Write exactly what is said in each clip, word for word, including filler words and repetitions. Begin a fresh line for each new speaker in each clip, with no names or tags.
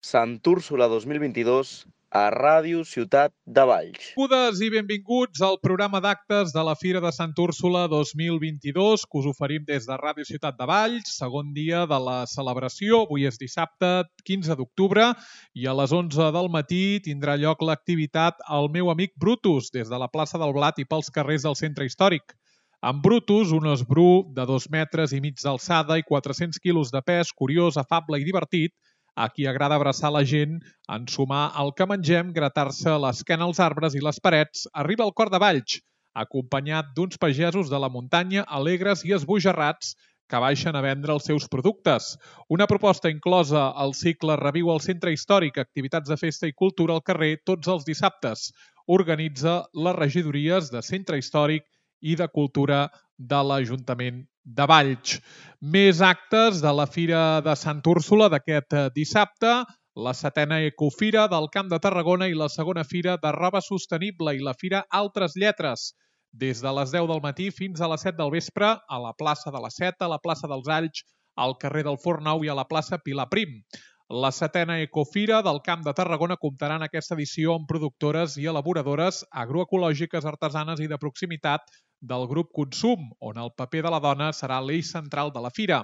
Sant Úrsula dos mil vint-i-dos a Ràdio Ciutat de Valls.
Benvingudes i benvinguts al programa d'actes de la Fira de Sant Úrsula dos mil vint-i-dos que us oferim des de Ràdio Ciutat de Valls, segon dia de la celebració. Avui és dissabte quinze d'octubre i a les onze del matí tindrà lloc l'activitat El meu amic Brutus des de la plaça del Blat i pels carrers del centre històric. En Brutus, un esbru de dos metres i mig d'alçada i quatre-cents quilos de pes, curiós, afable i divertit, a qui agrada abraçar la gent, ensumar el que mengem, gratar-se l'esquena als arbres i les parets, arriba al cor de Valls, acompanyat d'uns pagesos de la muntanya alegres i esbojarrats que baixen a vendre els seus productes. Una proposta inclosa al cicle Reviu al Centre Històric, activitats de festa i cultura al carrer tots els dissabtes. Organitza les regidories de Centre Històric i de Cultura de l'Ajuntament de Valls. Més actes de la Fira de Sant Úrsula d'aquest dissabte, la setena Ecofira del Camp de Tarragona i la segona Fira de Roba Sostenible i la Fira Altres Lletres, des de les deu del matí fins a les set del vespre a la plaça de la Seta, a la plaça dels Alls, al carrer del Forn Nou i a la plaça Pilar Prim. La setena Ecofira del Camp de Tarragona comptarà en aquesta edició amb productores i elaboradores agroecològiques, artesanes i de proximitat del grup Consum, on el paper de la dona serà l'eix central de la fira.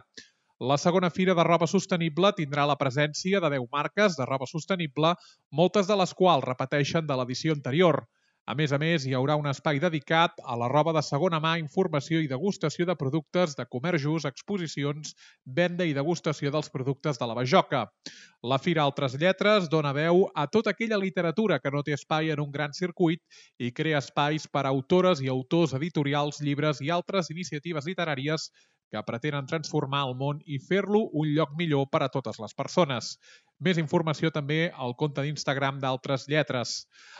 La segona Fira de Roba Sostenible tindrà la presència de deu marques de roba sostenible, moltes de les quals repeteixen de l'edició anterior. A més a més, hi haurà un espai dedicat a la roba de segona mà, informació i degustació de productes de comerç just, exposicions, venda i degustació dels productes de la Bajoca. La Fira Altres Lletres dona veu a tota aquella literatura que no té espai en un gran circuit i crea espais per a autores i autors editorials, llibres i altres iniciatives literàries que pretenen transformar el món i fer-lo un lloc millor per a totes les persones. Més informació també al compte d'Instagram d'Altres Lletres.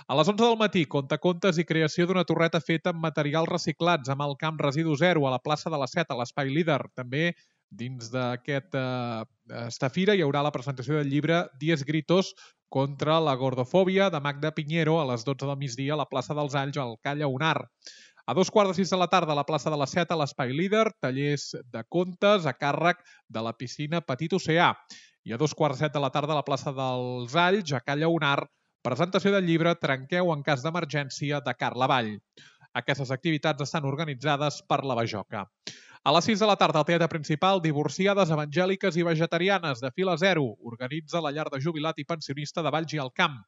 A les onze del matí, contacontes i creació d'una torreta feta amb materials reciclats amb el camp Residu Zero a la plaça de la Seta, a l'Espai Líder. També dins d'aquesta fira hi haurà la presentació del llibre Diez Gritos contra la gordofòbia de Magda Piñero a les dotze del migdia a la plaça dels Alls al Calla Unar. A dos quarts de sis de la tarda a la plaça de la Seta, a l'Espai Líder, tallers de contes a càrrec de la piscina Petit Oceà. I a dos quarts de set de la tarda a la plaça dels Alls, a Calla Unar, presentació del llibre Trenqueu en cas d'emergència de Carla Vall. Aquestes activitats estan organitzades per la Bajoca. A les sis de la tarda al Teatre Principal, Divorciades evangèliques i vegetarianes de Fila Zero. Organitza la llar de jubilat i pensionista de Valls i el Camp.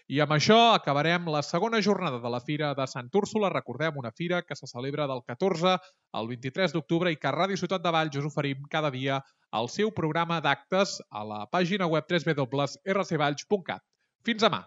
I amb això acabarem la segona jornada de la Fira de Sant Úrsula. Recordem, una fira que se celebra del catorze al vint-i-tres d'octubre i que a Ràdio Ciutat de Valls us oferim cada dia el seu programa d'actes a la pàgina web w w w punt r c valls punt cat. Fins demà!